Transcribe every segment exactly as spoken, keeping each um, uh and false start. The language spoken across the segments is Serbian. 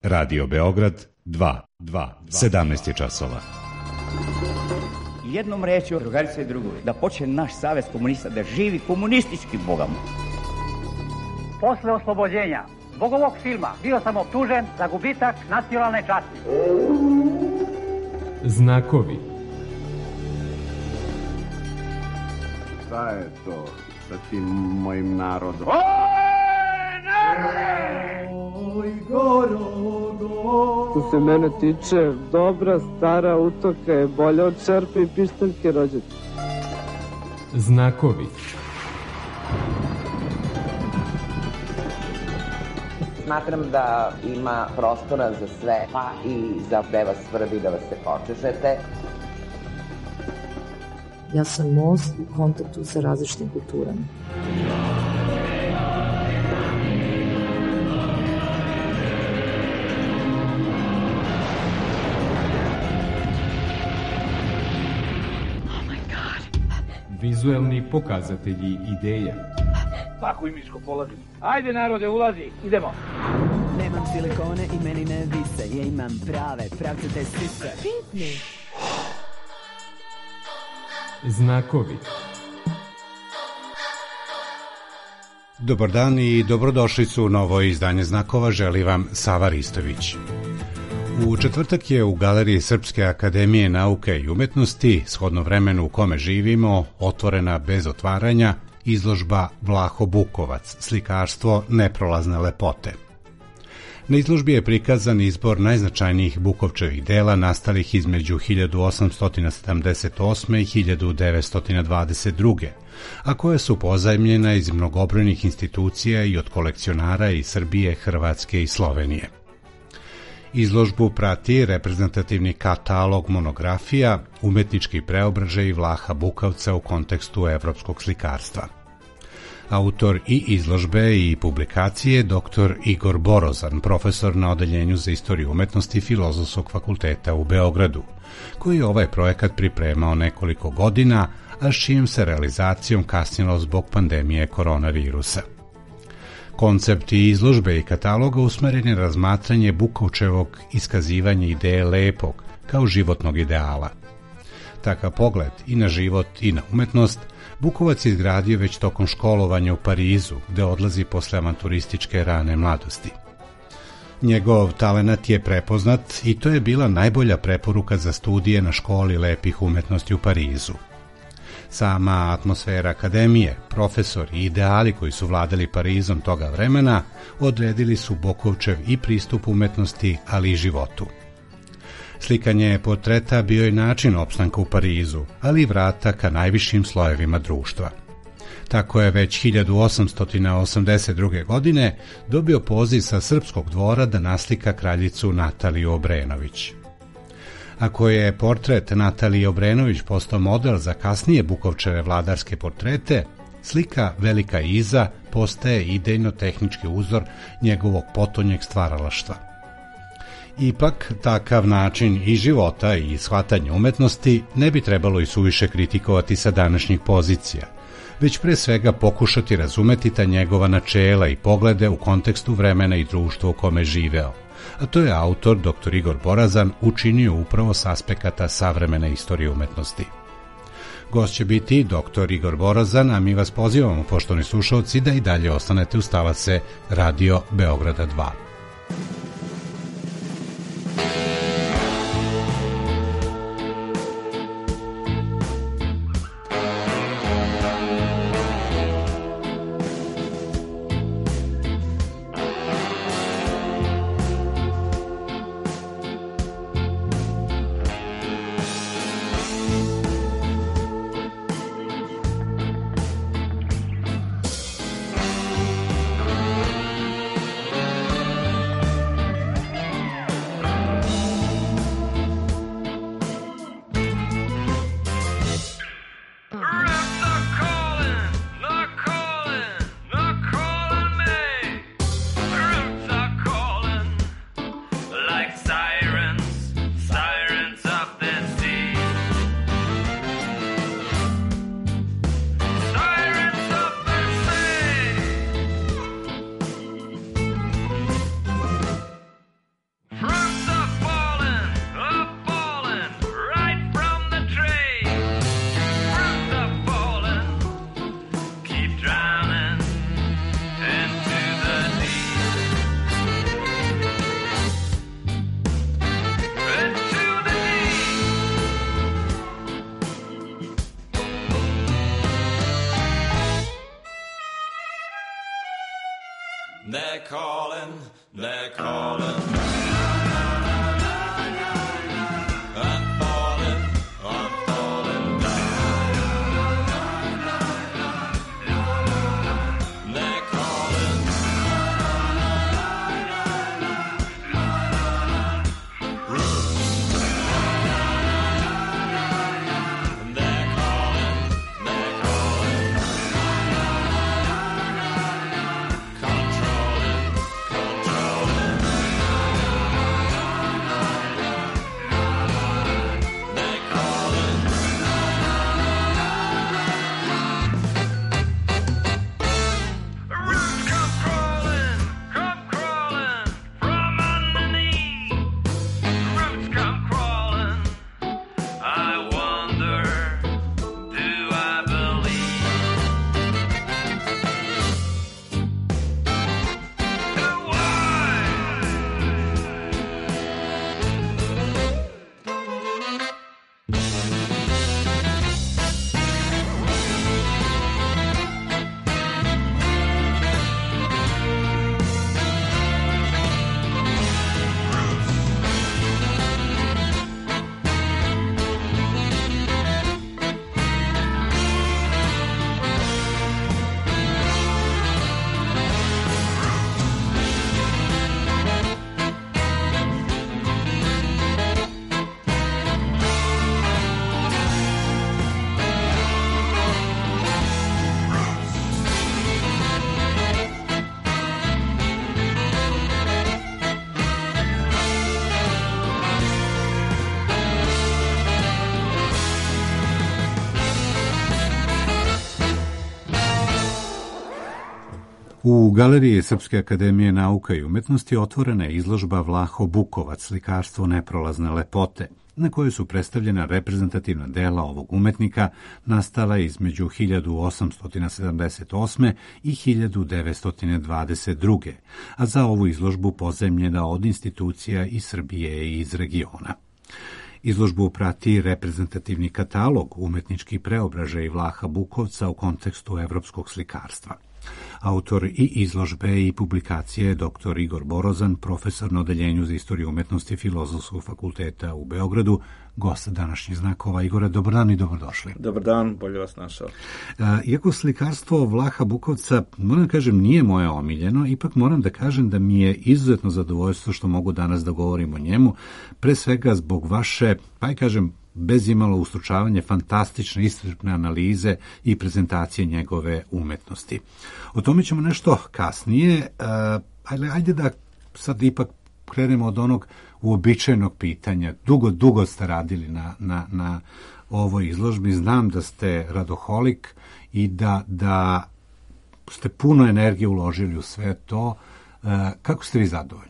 Radio Beograd dva, sedamnaest je časova. Jednom rečju, drugarice i drugovi, da počne naš savez komunista da živi komunistički bogom. Posle oslobođenja zbog ovog filma bio sam optužen za gubitak nacionalne časti. Znakovi. Šta je to sa tim mojim narodom? Oj, narode! Oj, Gorogo! Što se mene tiče, dobra stara utoka je bolja od čerpe i pištaljke rođaka. Znakovi. Smatram da ima prostora za sve, pa i za gde vas svrbi da vas se počešete. Ja sam most u kontaktu sa različitim kulturama. Vizuelni pokazatelji ideja. Tako i miško polazi. Ajde narode, ulazi, idemo. Nemam silikone i meni ne vise. Ja imam prave, pravcate sise. Pitni. Znakovi. Dobar dan i dobrodošli su u novo izdanje Znakova, želi vam Sava Ristović. U četvrtak je u Galeriji Srpske akademije nauke i umetnosti, shodno vremenu u kome živimo, otvorena bez otvaranja izložba Vlaho Bukovac, slikarstvo neprolazne lepote. Na izložbi je prikazan izbor najznačajnijih Bukovčevih dela nastalih između hiljadu osamsto sedamdeset osme i hiljadu devetsto dvadeset druge, a koje su pozajmljena iz mnogobrojnih institucija i od kolekcionara iz Srbije, Hrvatske i Slovenije. Izložbu prati reprezentativni katalog monografija, umetnički preobražaj Vlaha Bukovca u kontekstu evropskog slikarstva. Autor i izložbe i publikacije doktor Igor Borozan, profesor na Odeljenju za istoriju umetnosti Filozofskog fakulteta u Beogradu, koji je ovaj projekat pripremao nekoliko godina, a s čijim se realizacijom kasnilo zbog pandemije koronavirusa. Koncepti izložbe i kataloga usmeren je razmatranje Bukovčevog iskazivanja ideje lepog kao životnog ideala. Takav pogled i na život i na umetnost Bukovac je izgradio već tokom školovanja u Parizu, gde odlazi posle avanturističke rane mladosti. Njegov talenat je prepoznat i to je bila najbolja preporuka za studije na školi lepih umetnosti u Parizu. Sama atmosfera akademije, profesori i ideali koji su vladali Parizom toga vremena odredili su Bukovčev i pristup umetnosti, ali i životu. Slikanje portreta bio je način opstanka u Parizu, ali i vrata ka najvišim slojevima društva. Tako je već hiljadu osamsto osamdeset druge. godine dobio poziv sa srpskog dvora da naslika kraljicu Nataliju Obrenović. Ako je portret Natalije Obrenović postao model za kasnije Bukovčeve vladarske portrete, slika Velika Iza postaje idejno-tehnički uzor njegovog potonjeg stvaralaštva. Ipak, takav način i života i shvatanje umetnosti ne bi trebalo i suviše kritikovati sa današnjih pozicija, već pre svega pokušati razumeti ta njegova načela i poglede u kontekstu vremena i društva u kome živeo, a to je autor doktor Igor Borozan učinio upravo s aspekata savremene istorije umetnosti. Gost će biti doktor Igor Borozan, a mi vas pozivamo, poštovani slušalci, da i dalje ostanete uz talase Radio Beograda dva. calling, they're calling. U Galeriji Srpske akademije nauka i umetnosti otvorena je izložba Vlaho Bukovac, slikarstvo neprolazne lepote, na kojoj su predstavljena reprezentativna dela ovog umetnika nastala između hiljadu osamsto sedamdeset osme i hiljadu devetsto dvadeset druge, a za ovu izložbu pozajmljena od institucija iz Srbije i iz regiona. Izložbu prati reprezentativni katalog umetničkih preobražaja Vlaha Bukovca u kontekstu evropskog slikarstva. Autor i izložbe i publikacije je doktor Igor Borozan, profesor na Odeljenju za istoriju umetnosti Filozofskog fakulteta u Beogradu, gost današnjih znakova. Igore, dobar dan i dobrodošli. Dobar dan, bolje vas našao. Iako slikarstvo Vlaha Bukovca, moram da kažem, nije moje omiljeno, ipak moram da kažem da mi je izuzetno zadovoljstvo što mogu danas da govorim o njemu, pre svega zbog vaše, pa i kažem, bez imalo ustručavanje, fantastične iscrpne analize i prezentacije njegove umetnosti. O tome ćemo nešto kasnije, ali ajde da sad ipak krenemo od onog uobičajenog pitanja. Dugo, dugo ste radili na, na, na ovoj izložbi, znam da ste radoholik i da, da ste puno energije uložili u sve to. Kako ste vi zadovoljni?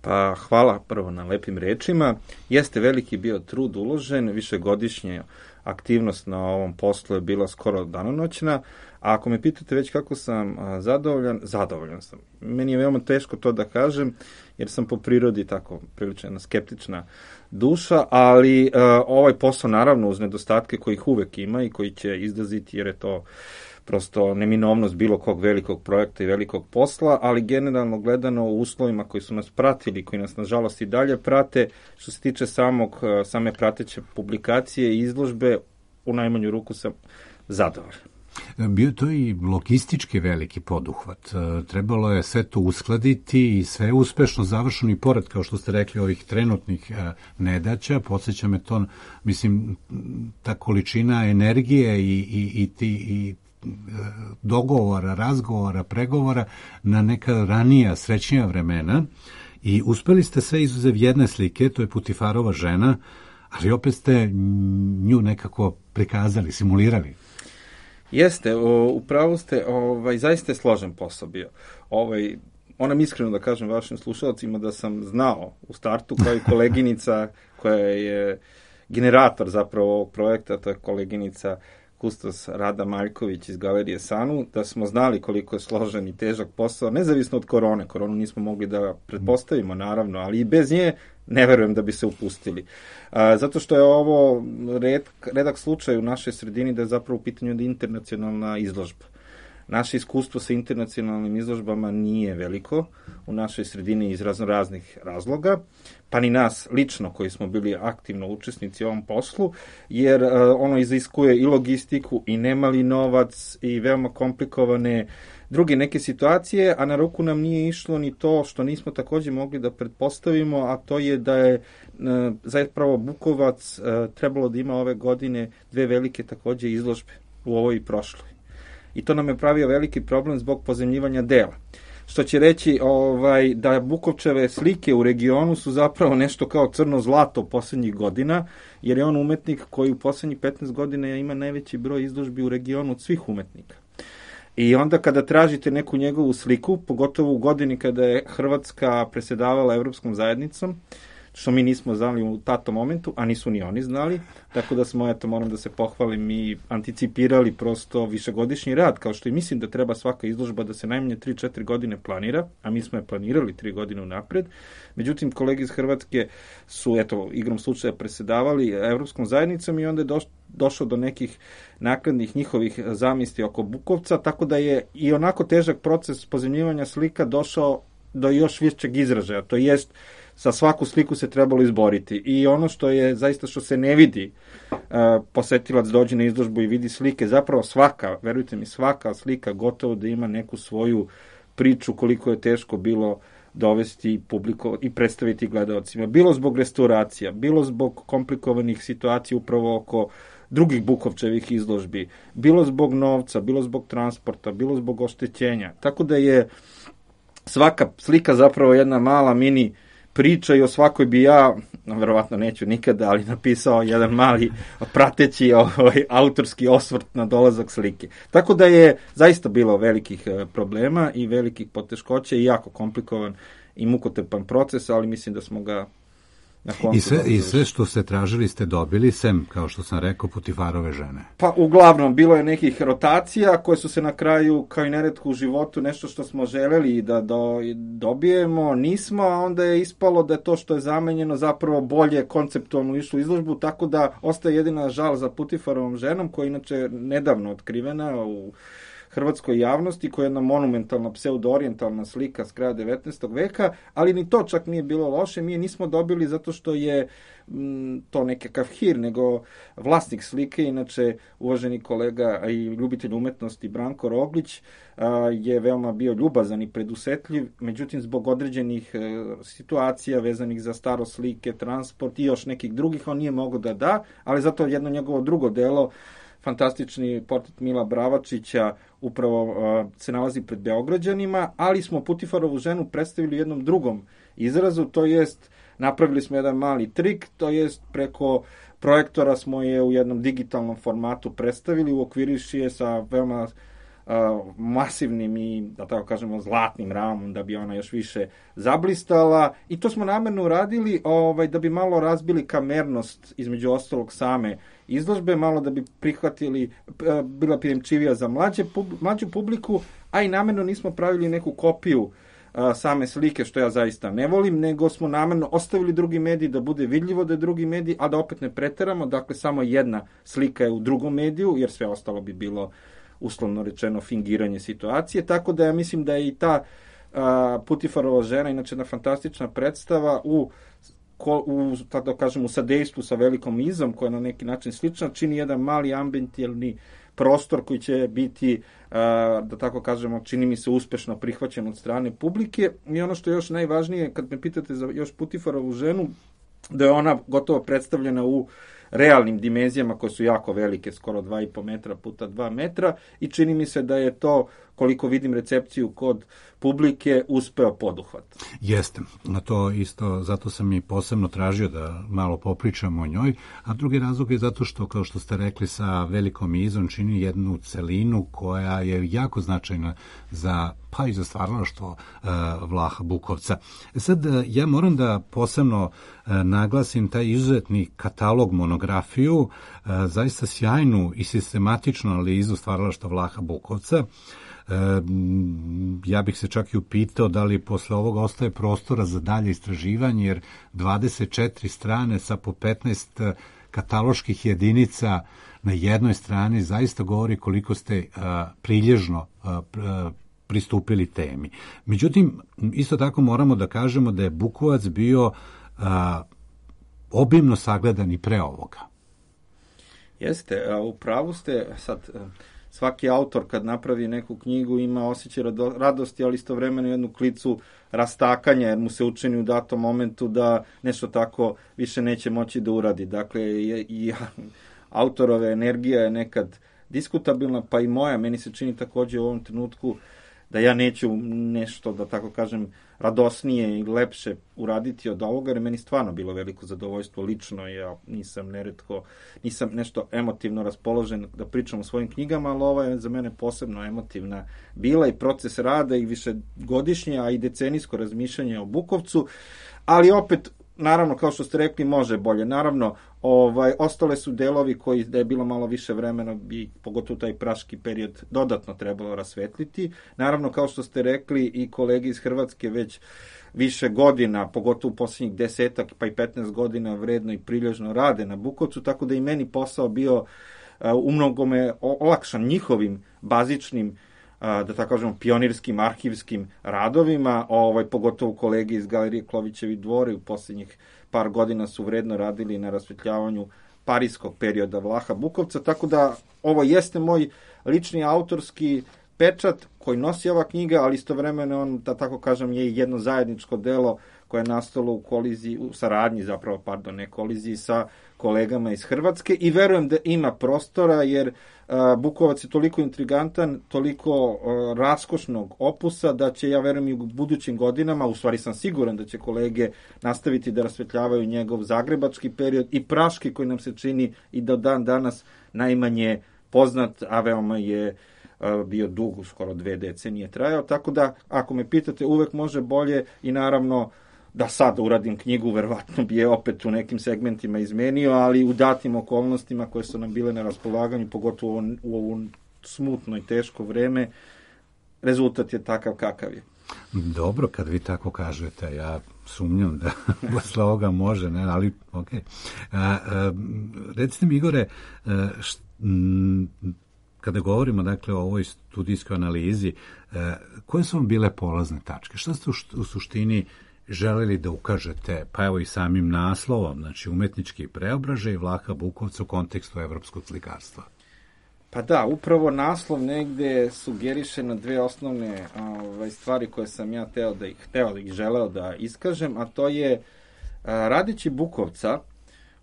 Pa hvala prvo na lepim rečima. Jeste veliki bio trud uložen, višegodišnje aktivnost na ovom poslu je bila skoro danonoćna, a ako me pitate već kako sam zadovoljan, zadovoljan sam. Meni je veoma teško to da kažem, jer sam po prirodi tako prilično jedna skeptična duša, ali uh, ovaj posao naravno uz nedostatke kojih uvek ima i koji će izdaziti, jer je to prosto neminovnost bilo kog velikog projekta i velikog posla, ali generalno gledano u uslovima koji su nas pratili, koji nas nažalost i dalje prate, što se tiče samog, same prateće publikacije i izložbe, u najmanju ruku sam zadovoljan. Bio to i logistički veliki poduhvat. Trebalo je sve to uskladiti i sve je uspešno završeno i pored, kao što ste rekli, ovih trenutnih nedaća. Podsjeća me to, mislim, ta količina energije i, i, i ti i dogovora, razgovora, pregovora na neka ranija, srećnija vremena i uspeli ste sve izuzev jedne slike, to je Putifarova žena, ali opet ste nju nekako prikazali, simulirali. Jeste, upravo ste, ovaj, zaista je složen posao bio. Ovaj, moram iskreno da kažem vašim slušalcima da sam znao u startu, kao i koleginica koja je generator zapravo ovog projekta, to je koleginica kustos Rada Maljković iz Galerije Sanu, da smo znali koliko je složen i težak posao, nezavisno od korone. Koronu nismo mogli da pretpostavimo, naravno, ali i bez nje ne verujem da bi se upustili. A, zato što je ovo red, redak slučaj u našoj sredini da je zapravo u pitanju da internacionalna izložba. naše iskustvo sa internacionalnim izložbama nije veliko u našoj sredini iz razno raznih razloga, pa ni nas lično koji smo bili aktivno učesnici u ovom poslu, jer uh, ono iziskuje i logistiku i nemali novac i veoma komplikovane druge neke situacije, a na ruku nam nije išlo ni to što nismo takođe mogli da pretpostavimo, a to je da je uh, zapravo Bukovac uh, trebalo da ima ove godine dve velike takođe izložbe u ovoj i prošloj. I to nam je pravio veliki problem zbog pozemljivanja dela. Što će reći ovaj, da Bukovčeve slike u regionu su zapravo nešto kao crno zlato poslednjih godina, jer je on umetnik koji u poslednjih petnaest godina ima najveći broj izložbi u regionu od svih umetnika. I onda kada tražite neku njegovu sliku, pogotovo u godini kada je Hrvatska presedavala Evropskom zajednicom, što mi nismo znali u tatom momentu, a nisu ni oni znali, tako da smo, eto, moram da se pohvalim, i anticipirali prosto višegodišnji rad, kao što i mislim da treba svaka izložba da se najmanje tri četiri godine planira, a mi smo je planirali tri godine unapred. Međutim, kolege iz Hrvatske su, eto, igrom slučaja presedavali Evropskom zajednicom i onda je doš, došlo do nekih nakladnih njihovih zamisli oko Bukovca, tako da je i onako težak proces pozemljivanja slika došao do još višćeg izražaja, to jest sa svaku sliku se trebalo izboriti. I ono što je zaista što se ne vidi, uh, posetilac dođe na izložbu i vidi slike, zapravo svaka, verujte mi, svaka slika gotovo da ima neku svoju priču koliko je teško bilo dovesti publiku i predstaviti gledaocima. Bilo zbog restauracija, bilo zbog komplikovanih situacija upravo oko drugih Bukovčevih izložbi, bilo zbog novca, bilo zbog transporta, bilo zbog oštećenja. Tako da je svaka slika zapravo jedna mala mini priča i o svakoj bi ja, verovatno neću nikada, ali napisao jedan mali prateći ovaj, autorski osvrt na dolazak slike. Tako da je zaista bilo velikih problema i velikih poteškoća i jako komplikovan i mukotrpan proces, ali mislim da smo ga na koncu... I sve, I sve što ste tražili ste dobili, sem, kao što sam rekao, Putifarove žene. Pa uglavnom, bilo je nekih rotacija koje su se na kraju, kao i neretko u životu, nešto što smo želeli da do, dobijemo, nismo, a onda je ispalo da je to što je zamenjeno zapravo bolje konceptualno išlo u izložbu, tako da ostaje jedina žal za Putifarovom ženom, koja je inače nedavno otkrivena u hrvatskoj javnosti, koja je jedna monumentalna pseudo-orijentalna slika s kraja devetnaestog veka, ali ni to čak nije bilo loše, mi je nismo dobili zato što je m, to nekakav hir, nego vlasnik slike, inače uvaženi kolega i ljubitelj umetnosti Branko Roglić, a, je veoma bio ljubazan i predusetljiv, međutim zbog određenih e, situacija vezanih za staro slike, transport i još nekih drugih, on nije mogao da da, ali zato jedno njegovo drugo delo, fantastični portret Mila Bravačića, upravo uh, se nalazi pred Beograđanima, ali smo Putifarovu ženu predstavili u jednom drugom izrazu, to jest napravili smo jedan mali trik, to jest preko projektora smo je u jednom digitalnom formatu predstavili, uokviriši je sa veoma uh, masivnim i, da tako kažemo, zlatnim ramom, da bi ona još više zablistala, i to smo namerno uradili ovaj, da bi malo razbili kamernost, između ostalog same izložbe, malo da bi prihvatili, bila prijemčivija za mlađe, mlađu publiku, a i namerno nismo pravili neku kopiju a, same slike, što ja zaista ne volim, nego smo namerno ostavili drugi medij da bude vidljivo da je drugi medij, a da opet ne preteramo, dakle samo jedna slika je u drugom mediju, jer sve ostalo bi bilo uslovno rečeno fingiranje situacije, tako da ja mislim da je i ta a, Putifarova žena, inače jedna fantastična predstava u u, tako da kažem, u sadejstvu sa velikom izom, koja je na neki način slična, čini jedan mali ambientalni prostor koji će biti, da tako kažemo, čini mi se uspešno prihvaćen od strane publike. I ono što je još najvažnije, kad me pitate za još Putifarovu ženu, da je ona gotovo predstavljena u realnim dimenzijama koje su jako velike, skoro dva i po metra puta dva metra, i čini mi se da je to, koliko vidim recepciju kod publike, uspeo poduhvat. Jeste, na to isto, zato sam i posebno tražio da malo popričamo o njoj, a drugi razlog je zato što, kao što ste rekli, sa velikom izom čini jednu celinu koja je jako značajna za, pa i za stvaralaštvo uh, Vlaha Bukovca. Sad, ja moram da posebno uh, naglasim taj izuzetni katalog, monografiju, uh, zaista sjajnu i sistematičnu analizu stvaralaštva Vlaha Bukovca. E, ja bih se čak i upitao da li posle ovoga ostaje prostora za dalje istraživanje, jer dvadeset četiri strane sa po petnaest kataloških jedinica na jednoj strani zaista govori koliko ste a, prilježno a, a, pristupili temi. Međutim, isto tako moramo da kažemo da je Bukovac bio a, obimno sagledan i pre ovoga. Jeste, a u pravu ste, sad svaki autor kad napravi neku knjigu ima osjećaj radosti, ali istovremeno jednu klicu rastakanja, jer mu se učini u datom momentu da nešto tako više neće moći da uradi. Dakle, i, i autorove energija je nekad diskutabilna, pa i moja, meni se čini takođe u ovom trenutku da ja neću nešto, da tako kažem, radosnije i lepše uraditi od ovoga, jer meni stvarno bilo veliko zadovoljstvo lično, ja nisam neretko, nisam nešto emotivno raspoložen da pričam o svojim knjigama, ali ova je za mene posebno emotivna bila i proces rada i višegodišnje, a i decenijsko razmišljanje o Bukovcu, ali opet, naravno, kao što ste rekli, može bolje. Naravno, ovaj, ostale su delovi koji, da je bilo malo više vremena, bi pogotovo taj praški period dodatno trebalo rasvetliti. Naravno, kao što ste rekli, i kolege iz Hrvatske već više godina, pogotovo u posljednjih desetak pa i petnaest godina vredno i prilježno rade na Bukovcu, tako da i meni posao bio uh, u mnogome olakšan njihovim bazičnim, da tako kažemo, pionirskim, arhivskim radovima, ovaj, pogotovo kolege iz Galerije Klovićevi dvori u posljednjih par godina su vredno radili na rasvetljavanju parijskog perioda Vlaha Bukovca, tako da ovo jeste moj lični autorski pečat koji nosi ova knjiga, ali istovremeno on, da tako kažem, je jedno zajedničko delo koje je nastalo u koliziji, u saradnji zapravo, pardon, ne koliziji, sa kolegama iz Hrvatske i verujem da ima prostora, jer uh, Bukovac je toliko intrigantan, toliko uh, raskošnog opusa, da će, ja verujem, i u budućim godinama, u stvari sam siguran da će kolege nastaviti da rasvetljavaju njegov zagrebački period i praški, koji nam se čini i do dan danas najmanje poznat, a veoma je uh, bio dug, skoro dve decenije trajao, tako da, ako me pitate, uvek može bolje i naravno da sad uradim knjigu, verovatno bi je opet u nekim segmentima izmenio, ali u datim okolnostima koje su nam bile na raspolaganju, pogotovo u ovo smutno i teško vreme, rezultat je takav kakav je. Dobro, kad vi tako kažete, ja sumnjam da posle ovoga može, ne, ali okej. Okay. Recite mi, Igore, št, m, kada govorimo, dakle, o ovoj studijskoj analizi, koje su vam bile polazne tačke? Šta ste u suštini želeli da ukažete, pa evo i samim naslovom, znači umetnički preobražaj Vlaha Bukovca u kontekstu evropskog slikarstva? Pa da, upravo naslov negde sugeriše na dve osnovne ovaj, stvari koje sam ja teo da ih, teo da ih želeo da iskažem, a to je radeći Bukovca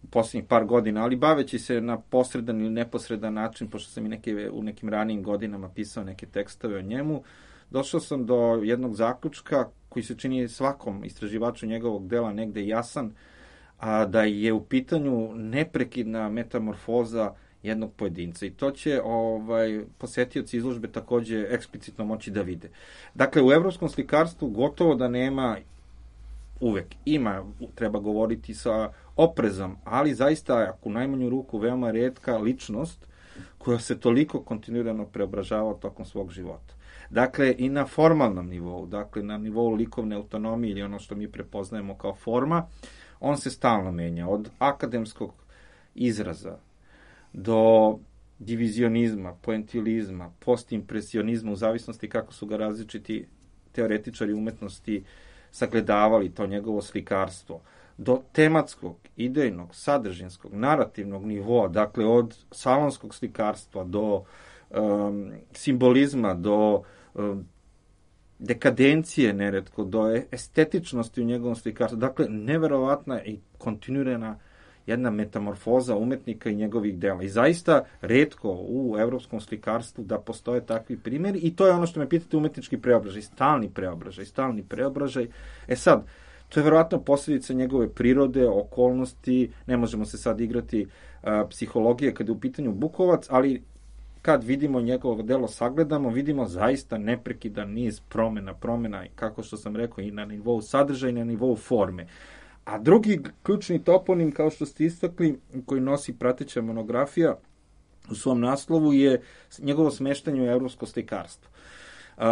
u posljednjih par godina, ali baveći se na posredan ili neposredan način, pošto sam i neke, u nekim ranijim godinama pisao neke tekstove o njemu, došao sam do jednog zaključka koji se čini svakom istraživaču njegovog dela negde jasan, a da je u pitanju neprekidna metamorfoza jednog pojedinca. I to će ovaj, posetioci izložbe takođe eksplicitno moći da vide. Dakle, u evropskom slikarstvu gotovo da nema, uvek ima, treba govoriti sa oprezom, ali zaista, ako u najmanju ruku, veoma retka ličnost koja se toliko kontinuirano preobražava tokom svog života. Dakle, i na formalnom nivou, dakle, na nivou likovne autonomije ili ono što mi prepoznajemo kao forma, on se stalno menja. Od akademskog izraza do divizionizma, poentilizma, postimpresionizma, u zavisnosti kako su ga različiti teoretičari umetnosti sagledavali to njegovo slikarstvo, do tematskog, idejnog, sadržinskog, narativnog nivoa, dakle, od salonskog slikarstva do um, simbolizma, do dekadencije neretko, do estetičnosti u njegovom slikarstvu. Dakle, neverovatna i kontinuirana jedna metamorfoza umetnika i njegovih dela. I zaista retko u evropskom slikarstvu da postoje takvi primjeri i to je ono što me pitate, umetnički preobražaj, stalni preobražaj, stalni preobražaj. E sad, to je verovatno posljedica njegove prirode, okolnosti, ne možemo se sad igrati uh, psihologije kada je u pitanju Bukovac, ali kad vidimo njegovo delo, sagledamo, vidimo zaista neprekidan niz promena, promena, kako što sam rekao, i na nivou sadržaja i na nivou forme. A drugi ključni toponim, kao što ste istakli, koji nosi prateća monografija u svom naslovu, je njegovo smeštanje u evropsko slikarstvo. Uh,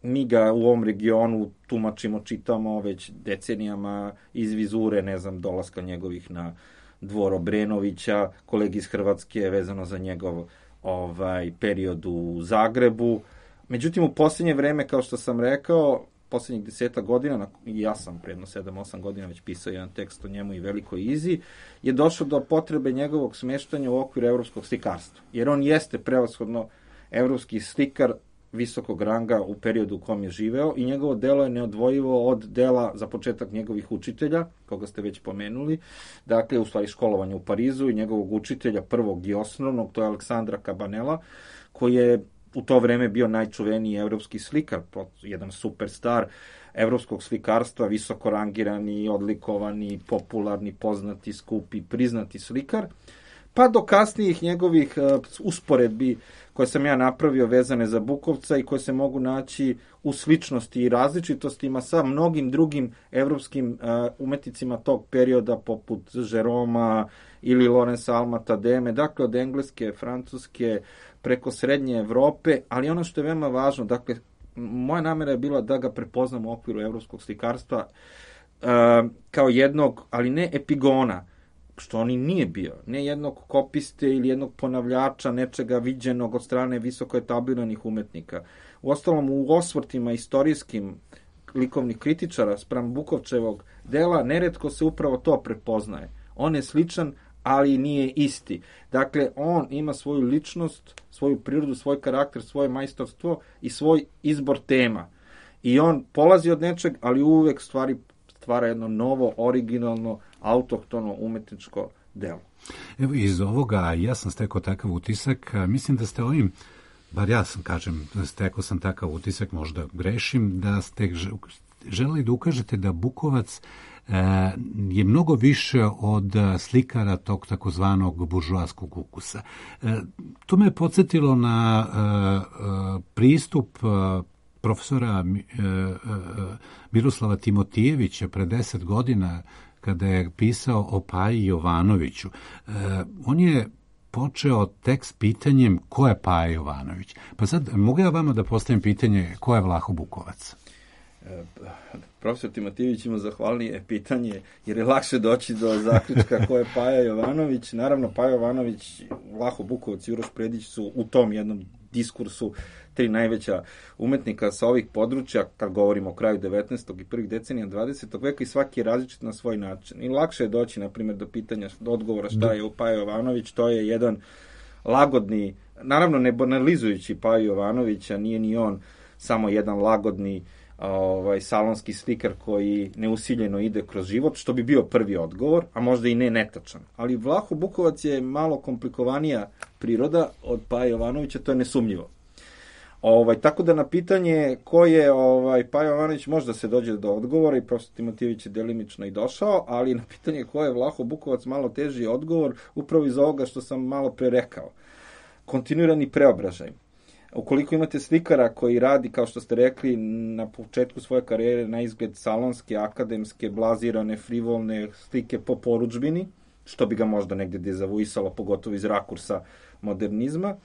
mi ga u ovom regionu tumačimo, čitamo već decenijama iz vizure, ne znam, dolaska njegovih na Dvor Obrenovića, kolegi iz Hrvatske vezano za njegov ovaj period u Zagrebu. Međutim, u posljednje vreme, kao što sam rekao, posljednjih deseta godina, i ja sam predno sedam osam godina već pisao jedan tekst o njemu i Velikoj Izi, je došlo do potrebe njegovog smeštanja u okviru evropskog slikarstva. Jer on jeste prevashodno evropski slikar visokog ranga u periodu u kom je živeo i njegovo delo je neodvojivo od dela, za početak, njegovih učitelja, koga ste već pomenuli, dakle, u stvari školovanja u Parizu i njegovog učitelja prvog i osnovnog, to je Aleksandra Cabanela, koji je u to vreme bio najčuveniji evropski slikar, jedan superstar evropskog slikarstva, visoko rangirani, odlikovani, popularni, poznati, skupi, priznati slikar, pa do kasnijih njegovih uh, usporedbi koje sam ja napravio vezane za Bukovca i koje se mogu naći u sličnosti i različitostima sa mnogim drugim evropskim uh, umetnicima tog perioda, poput Jeroma ili Lorenza Alma-Tademe, dakle od engleske, francuske, preko srednje Evrope, ali ono što je veoma važno, dakle, moja namera je bila da ga prepoznam u okviru evropskog slikarstva uh, kao jednog, ali ne epigona, što on i nije bio, ne jednog kopiste ili jednog ponavljača nečega viđenog od strane visoko etabliranih umetnika. Uostalom, u osvrtima istorijskim likovnih kritičara spram Bukovčevog dela neretko se upravo to prepoznaje. On je sličan, ali nije isti. Dakle, on ima svoju ličnost, svoju prirodu, svoj karakter, svoje majstorstvo i svoj izbor tema. I on polazi od nečeg, ali uvek stvari stvara jedno novo, originalno, autohtono umetničko delo. Evo, iz ovoga ja sam stekao takav utisak, mislim da ste ovim, bar ja sam, kažem, stekao sam takav utisak, možda grešim, da ste želeli da ukažete da Bukovac e, je mnogo više od slikara tog takozvanog buržoaskog ukusa. E, to me je podsjetilo na e, e, pristup e, profesora e, e, Miroslava Timotijevića pre deset godina, kada je pisao o Paji Jovanoviću. E, on je počeo tekst pitanjem ko je Paja Jovanović. Pa sad, mogu ja vama da postavim pitanje ko je Vlaho Bukovac? E, profesor Timotijević ima zahvalnije pitanje, jer je lakše doći do zaključka ko je Paja Jovanović. Naravno, Paja Jovanović, Vlaho Bukovac i Uroš Predić su u tom jednom diskursu tri najveća umetnika sa ovih područja, kad govorimo o kraju devetnaestog i prvih decenija dvadesetog veka, i svaki je različit na svoj način. I lakše je doći, na primjer, do pitanja, do odgovora šta je Paja Jovanović. To je jedan lagodni, naravno ne banalizujući Paju Jovanovića, nije ni on samo jedan lagodni ovaj, salonski slikar koji neusiljeno ide kroz život, što bi bio prvi odgovor, a možda i ne netačan. Ali Vlaho Bukovac je malo komplikovanija priroda od Paja Jovanovića, to je nesumnjivo. Ovaj, tako da na pitanje ko je ovaj, Paja Jovanović možda se dođe do odgovora, i profesor Timotijević je delimično i došao, ali na pitanje ko je Vlaho Bukovac malo teži odgovor, upravo iz ovoga što sam malo pre rekao. Kontinuirani preobražaj. Ukoliko imate slikara koji radi, kao što ste rekli, na početku svoje karijere na izgled salonske, akademske, blazirane, frivolne slike po porudžbini, što bi ga možda negde dezavuisalo, pogotovo iz rakursa modernizma.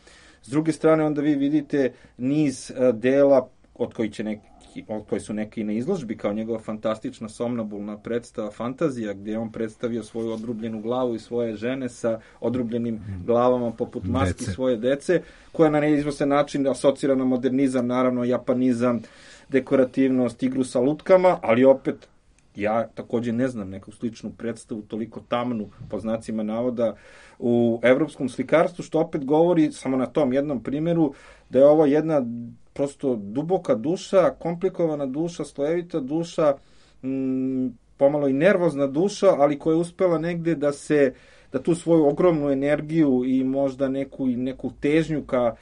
S druge strane, onda vi vidite niz dela od koji, će neki, od koji su neki na izložbi, kao njegova fantastična somnambulna predstava Fantazija, gdje je on predstavio svoju odrubljenu glavu i svoje žene sa odrubljenim glavama poput maski dece. Svoje dece, koja na neizvestan način asocira na modernizam, naravno japanizam, dekorativnost, igru sa lutkama, ali opet ja takođe ne znam neku sličnu predstavu, toliko tamnu, po znacima navoda, u evropskom slikarstvu, što opet govori, samo na tom jednom primjeru, da je ovo jedna prosto duboka duša, komplikovana duša, slojevita duša, m, pomalo i nervozna duša, ali koja je uspela negde da se, da tu svoju ogromnu energiju i možda neku, neku težnju ka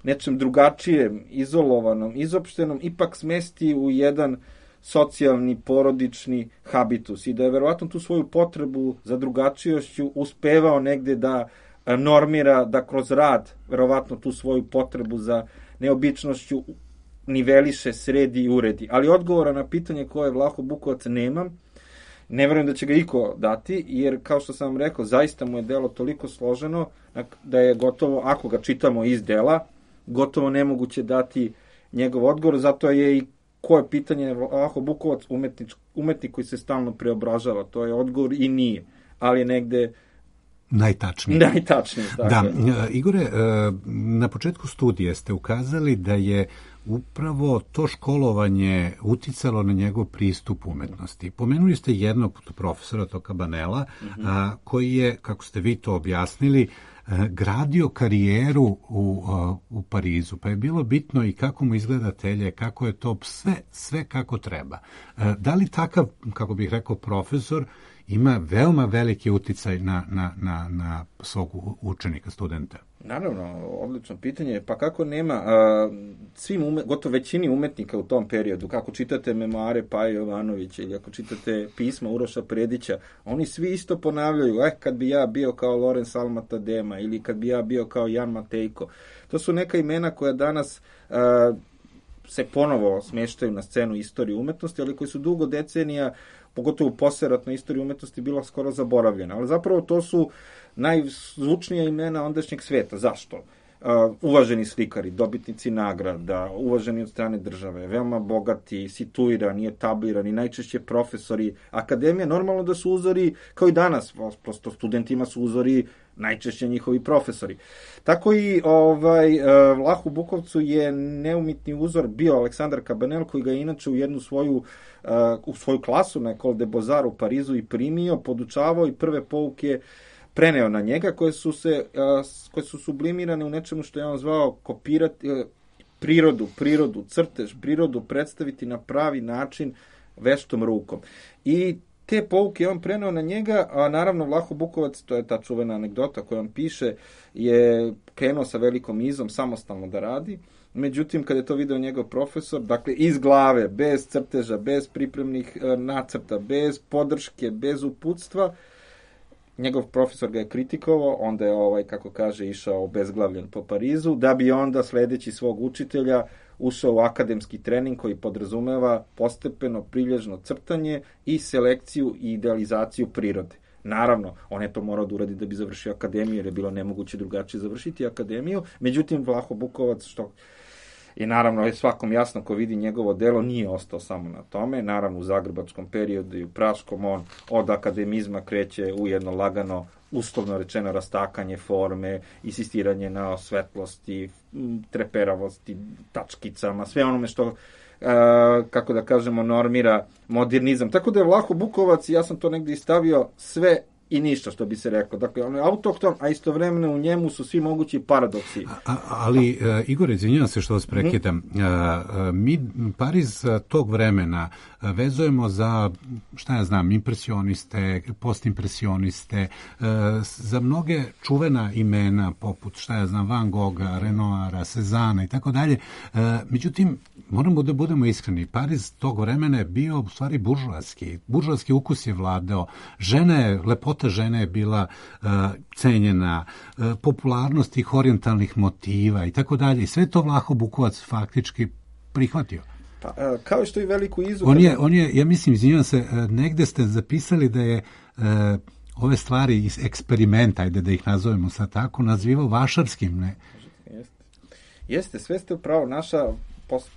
nečem drugačijem, izolovanom, izopštenom, ipak smesti u jedan socijalni, porodični habitus, i da je verovatno tu svoju potrebu za drugačijošću uspevao negde da normira, da kroz rad verovatno tu svoju potrebu za neobičnošću niveliše, sredi i uredi. Ali odgovora na pitanje ko je Vlaho Bukovac nemam. Ne verujem da će ga iko dati, jer kao što sam vam rekao, zaista mu je delo toliko složeno da je gotovo, ako ga čitamo iz dela, gotovo nemoguće dati njegov odgovor. Zato je i ko je pitanje Vlaho Bukovac umetnič, umetnik koji se stalno preobražava. To je odgovor i nije. Ali negde najtačnije. Najtačnije, tako. Da, Igore, na početku studije ste ukazali da je upravo to školovanje uticalo na njegov pristup umetnosti. Pomenuli ste jednog profesora, Toka Banela, mm-hmm. a, koji je, kako ste vi to objasnili, gradio karijeru u, u Parizu, pa je bilo bitno i kako mu izgleda atelje, kako je to sve, sve kako treba. Da li takav, kako bih rekao, profesor ima veoma veliki uticaj na, na, na, na svog učenika, studenta? Naravno, odlično pitanje. Pa kako nema a, svim, ume, gotovo većini umetnika u tom periodu, kako čitate memoare Paje Jovanovića ili ako čitate pisma Uroša Predića, oni svi isto ponavljaju, eh, kad bi ja bio kao Lorenz Almatadema ili kad bi ja bio kao Jan Matejko. To su neka imena koja danas a, se ponovo smeštaju na scenu istorije umetnosti, ali koji su dugo decenija, pogotovo u posleratnoj istoriji umetnosti, bila skoro zaboravljena. Ali zapravo to su najzvučnija imena ondašnjeg sveta. Zašto? Uh, uvaženi slikari, dobitnici nagrada, uvaženi od strane države, veoma bogati, situirani, etablirani, najčešće profesori. Akademija, normalno da su uzori, kao i danas, prosto studentima su uzori najčešće njihovi profesori. Tako i ovaj, uh, Vlahu Bukovcu je neumitni uzor bio Aleksandar Cabanel, koji ga je inače u jednu svoju uh, u svoju klasu na École des Beaux-Arts u Parizu i primio, podučavao i prve pouke preneo na njega, koje su se koje su sublimirane u nečemu što je on zvao kopirati prirodu, prirodu, crtež, prirodu predstaviti na pravi način veštom rukom. I te pouke je on preneo na njega, a naravno Vlaho Bukovac, to je ta čuvena anegdota koju on piše, je krenuo sa velikom izom samostalno da radi. Međutim, kada je to video njegov profesor, dakle iz glave, bez crteža, bez pripremnih nacrta, bez podrške, bez uputstva, njegov profesor ga je kritikovao, onda je, ovaj, kako kaže, išao obezglavljen po Parizu, da bi onda sledeći svog učitelja ušao u akademski trening koji podrazumeva postepeno prilježno crtanje i selekciju i idealizaciju prirode. Naravno, on je to morao da uradi da bi završio akademiju, jer je bilo nemoguće drugačije završiti akademiju. Međutim, Vlaho Bukovac, što i naravno je svakom jasno ko vidi njegovo delo, nije ostao samo na tome. Naravno, u zagrebačkom periodu i u praškom on od akademizma kreće u jedno lagano, uslovno rečeno, rastakanje forme, insistiranje na svetlosti, treperavosti, tačkicama, sve onome što, Uh, kako da kažemo, normira modernizam. Tako da je Vlaho Bukovac, ja sam to negdje istavio, sve i ništa, što bi se reklo. Dakle, on je autohton, a istovremeno u njemu su svi mogući paradoksi. A, ali, uh, Igor, izvinjavam se što vas prekidam. Mm-hmm. Uh, mi Pariz tog vremena vezujemo za, šta ja znam, impresioniste, postimpresioniste, uh, za mnoge čuvena imena, poput, šta ja znam, Van Gogha, Renoira, Cezana i tako dalje. Uh, međutim, moramo da budemo iskreni, Pariz tog vremena je bio u stvari buržoaski. Buržoaski ukus je vladao. Žene, lepota žene je bila uh, cenjena, uh, popularnost tih orijentalnih motiva i tako dalje. I sve to Vlaho Bukovac faktički prihvatio. Pa, uh, kao što i veliku izu... On je, on je, ja mislim, izvinjavam se, uh, negde ste zapisali da je uh, ove stvari iz eksperimenta, ajde da ih nazovemo sad tako, nazivao vašarskim, ne? Jeste, Jeste sve ste upravo, naša post,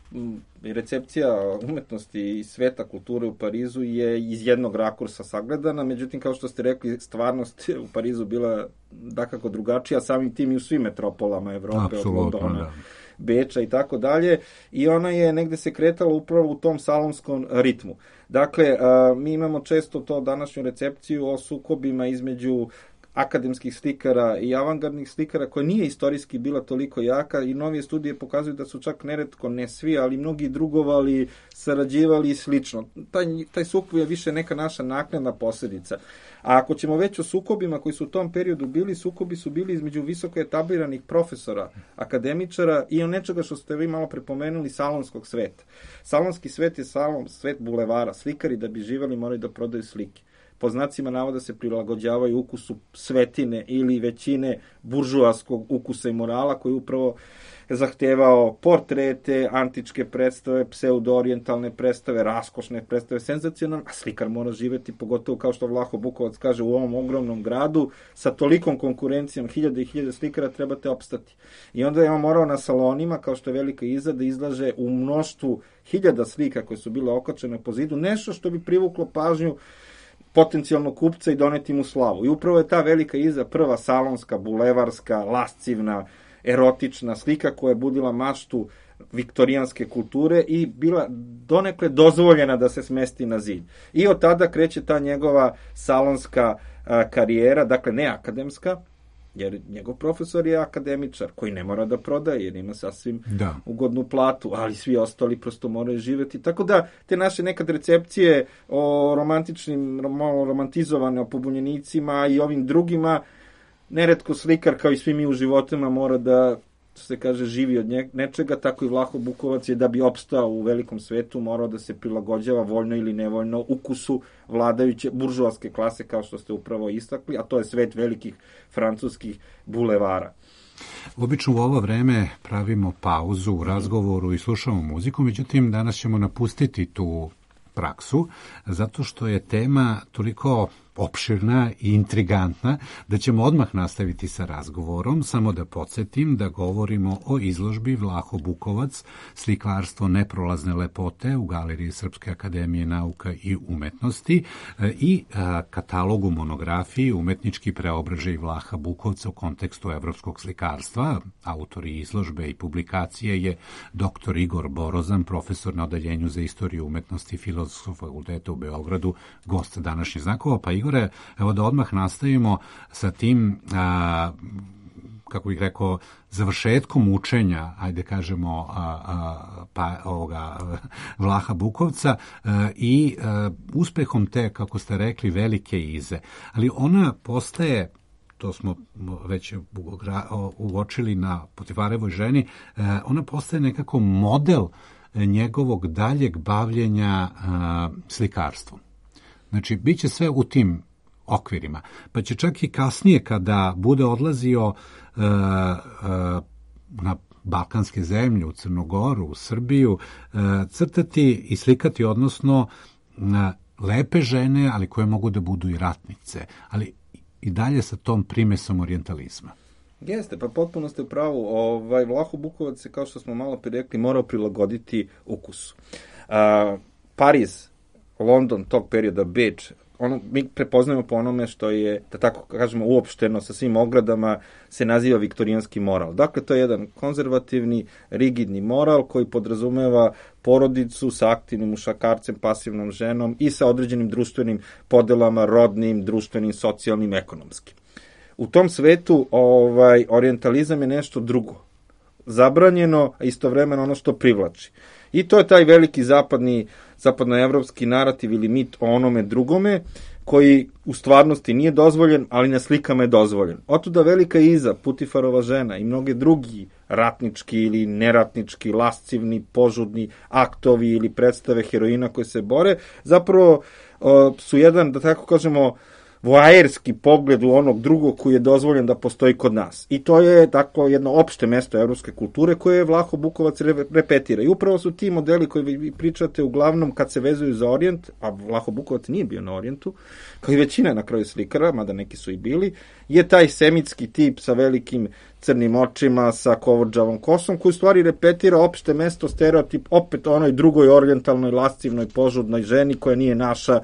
recepcija umetnosti i sveta kulture u Parizu je iz jednog rakursa sagledana, međutim, kao što ste rekli, stvarnost u Parizu bila dakako drugačija, samim tim i u svim metropolama Evrope, od Londona, da. Beča i tako dalje, i ona je negde se kretala upravo u tom salonskom ritmu. Dakle, mi imamo često to današnju recepciju o sukobima između akademskih slikara i avangardnih slikara, koja nije istorijski bila toliko jaka, i novije studije pokazuju da su čak neretko, ne svi, ali mnogi drugovali, sarađivali i slično. Taj, taj sukob je više neka naša naknadna posljedica. A ako ćemo već o sukobima koji su u tom periodu bili, sukobi su bili između visoko etabliranih profesora, akademičara i on nečega što ste vi malo prepomenuli, salonskog sveta. Salonski svet je salon, svet bulevara. Slikari da bi živeli moraju da prodaju slike. Po znacima navoda se prilagođavaju ukusu svetine ili većine buržoaskog ukusa i morala, koji upravo zahtevao portrete, antičke predstave, pseudo-orijentalne predstave, raskošne predstave, senzacionalne, a slikar mora živeti, pogotovo kao što Vlaho Bukovac kaže, u ovom ogromnom gradu, sa tolikom konkurencijom, hiljade i hiljade slikara, trebate opstati. I onda je on morao na salonima, kao što je Velika Iza, da izlaže u mnoštvu hiljada slika koje su bile okačene po zidu, nešto što bi privuklo pažnju potencijalnog kupca i doneti mu slavu. I upravo je ta velika iza prva salonska, bulevarska, lascivna, erotična slika koja je budila maštu viktorijanske kulture i bila donekle dozvoljena da se smesti na zid. I od tada kreće ta njegova salonska a, karijera, dakle ne akademska, jer njegov profesor je akademičar koji ne mora da prodaje jer ima sasvim da. ugodnu platu, ali svi ostali prosto moraju živjeti. Tako da te naše nekad recepcije o romantičnim, malo romantizovane, o pobunjenicima i ovim drugima, neretko slikar kao i svi mi u životima mora da se kaže živi od nečega, tako i Vlaho Bukovac je da bi opstao u velikom svetu morao da se prilagođava voljno ili nevoljno ukusu vladajuće buržoaske klase kao što ste upravo istakli, a to je svet velikih francuskih bulevara. Obično u ovo vreme pravimo pauzu u razgovoru i slušamo muziku, međutim danas ćemo napustiti tu praksu, zato što je tema toliko opširna i intrigantna, da ćemo odmah nastaviti sa razgovorom. Samo da podsjetim da govorimo o izložbi Vlaho Bukovac, slikarstvo neprolazne lepote u Galeriji Srpske akademije nauka i umetnosti i katalogu monografiji Umetnički preobražaj Vlaha Bukovca u kontekstu evropskog slikarstva. Autori izložbe i publikacije je doktor Igor Borozan, profesor na odeljenju za istoriju umetnosti Filozofskog fakulteta u Beogradu, gost današnjih znakova. Pa Igor, evo da odmah nastavimo sa tim, a, kako bih rekao, završetkom učenja, ajde kažemo, a, a, pa, ovoga, Vlaha Bukovca a, i a, uspehom te, kako ste rekli, velike ize. Ali ona postaje, to smo već uočili na Potifarevoj ženi, a, ona postaje nekako model njegovog daljeg bavljenja a, slikarstvom. Znači, bit će sve u tim okvirima. Pa će čak i kasnije, kada bude odlazio uh, uh, na balkanske zemlje, u Crnogoru, u Srbiju, uh, crtati i slikati, odnosno uh, lepe žene, ali koje mogu da budu i ratnice, ali i dalje sa tom primesom orijentalizma. Jeste, pa potpuno ste u pravu. Ovaj, Vlaho Bukovac se, kao što smo malo prije rekli, morao prilagoditi ukusu. Uh, Pariz, London tog perioda, Beč, ono, mi prepoznajemo po onome što je, da tako kažemo, uopšteno sa svim ogradama se naziva viktorijanski moral. Dakle, to je jedan konzervativni, rigidni moral koji podrazumeva porodicu sa aktivnim mušakarcem, pasivnom ženom i sa određenim društvenim podelama, rodnim, društvenim, socijalnim, ekonomskim. U tom svetu ovaj, orijentalizam je nešto drugo. Zabranjeno, a istovremeno ono što privlači. I to je taj veliki zapadni, zapadnoevropski narativ ili mit o onome drugome, koji u stvarnosti nije dozvoljen, ali na slikama je dozvoljen. Otuda velika iza, Putifarova žena i mnoge drugi ratnički ili neratnički, lascivni, požudni aktovi ili predstave heroina koje se bore, zapravo uh, su jedan, da tako kažemo, voajerski pogled u onog drugog koji je dozvoljen da postoji kod nas. I to je tako jedno opšte mesto evropske kulture koje je Vlaho Bukovac repetira. I upravo su ti modeli koji vi pričate uglavnom kad se vezuju za Orijent, a Vlaho Bukovac nije bio na Orijentu, kao i većina na kraju slikara, mada neki su i bili, je taj semitski tip sa velikim crnim očima, sa kovođavom kosom, koji u stvari repetira opšte mesto, stereotip, opet onoj drugoj orijentalnoj, lascivnoj, požudnoj ženi koja nije naša,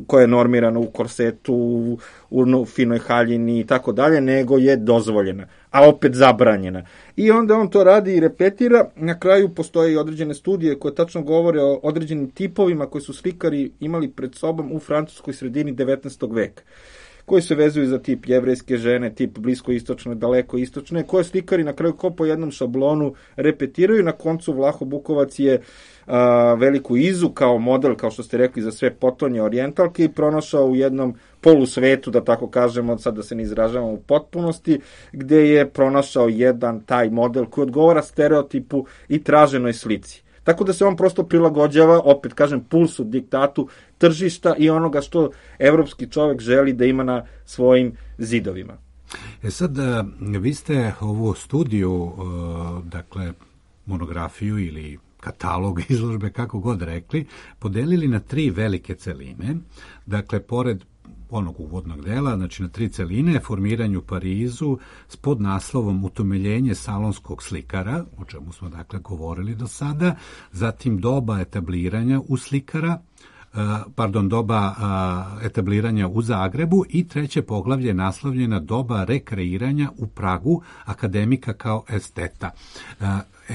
koja je normirana u korsetu, u, u finoj haljini i tako dalje, nego je dozvoljena, a opet zabranjena. I onda on to radi i repetira. Na kraju postoje i određene studije koje tačno govore o određenim tipovima koji su slikari imali pred sobom u francuskoj sredini devetnaestog veka, koji se vezuju za tip jevrejske žene, tip bliskoistočne, dalekoistočne, koje slikari na kraju ko po jednom šablonu repetiraju. Na koncu Vlaho Bukovac je a, veliku izu kao model, kao što ste rekli, za sve potonje orijentalke i pronašao u jednom polusvetu, da tako kažemo, sad da se ne izražavamo u potpunosti, gde je pronašao jedan taj model koji odgovara stereotipu i traženoj slici. Tako da se on prosto prilagođava, opet kažem, pulsu, diktatu tržišta i onoga što evropski čovek želi da ima na svojim zidovima. E sad, vi ste ovu studiju, dakle, monografiju ili katalog izložbe, kako god rekli, podelili na tri velike celine. Dakle, pored onog uvodnog dela, znači na tri celine, formiranje u Parizu s podnaslovom Utemeljenje salonskog slikara, o čemu smo dakle govorili do sada, zatim doba etabliranja u slikara, pardon, doba etabliranja u Zagrebu i treće poglavlje naslovljena doba rekreiranja u Pragu akademika kao esteta,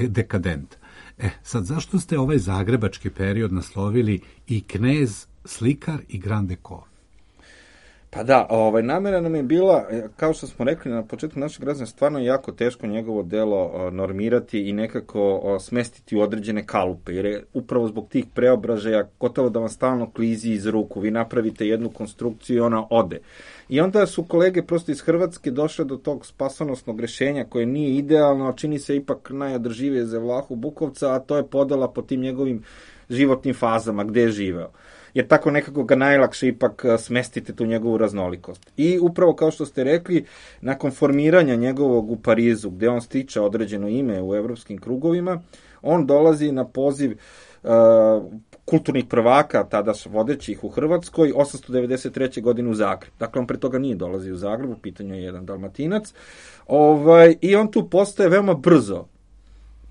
dekadent. E, sad, zašto ste ovaj zagrebački period naslovili i knez, slikar i grand dekor? Pa da, ovaj, namjera nam je bila, kao što smo rekli na početku našeg razloga, stvarno je jako teško njegovo delo normirati i nekako smestiti u određene kalupe, jer je upravo zbog tih preobražaja gotovo da vam stalno klizi iz ruku, vi napravite jednu konstrukciju i ona ode. I onda su kolege prosto iz Hrvatske došle do tog spasonosnog rešenja koje nije idealno, a čini se ipak najodrživije za Vlahu Bukovca, a to je podela po tim njegovim životnim fazama, gde je živeo. Jer tako nekako ga najlakše ipak smestite tu njegovu raznolikost. I upravo kao što ste rekli, nakon formiranja njegovog u Parizu, gde on stiče određeno ime u evropskim krugovima, on dolazi na poziv uh, kulturnih prvaka, tada vodećih u Hrvatskoj, osamsto devedeset treće godine u Zagreb. Dakle, on pre toga nije dolazio u Zagreb, u pitanju je jedan Dalmatinac. Ovaj, I on tu postaje veoma brzo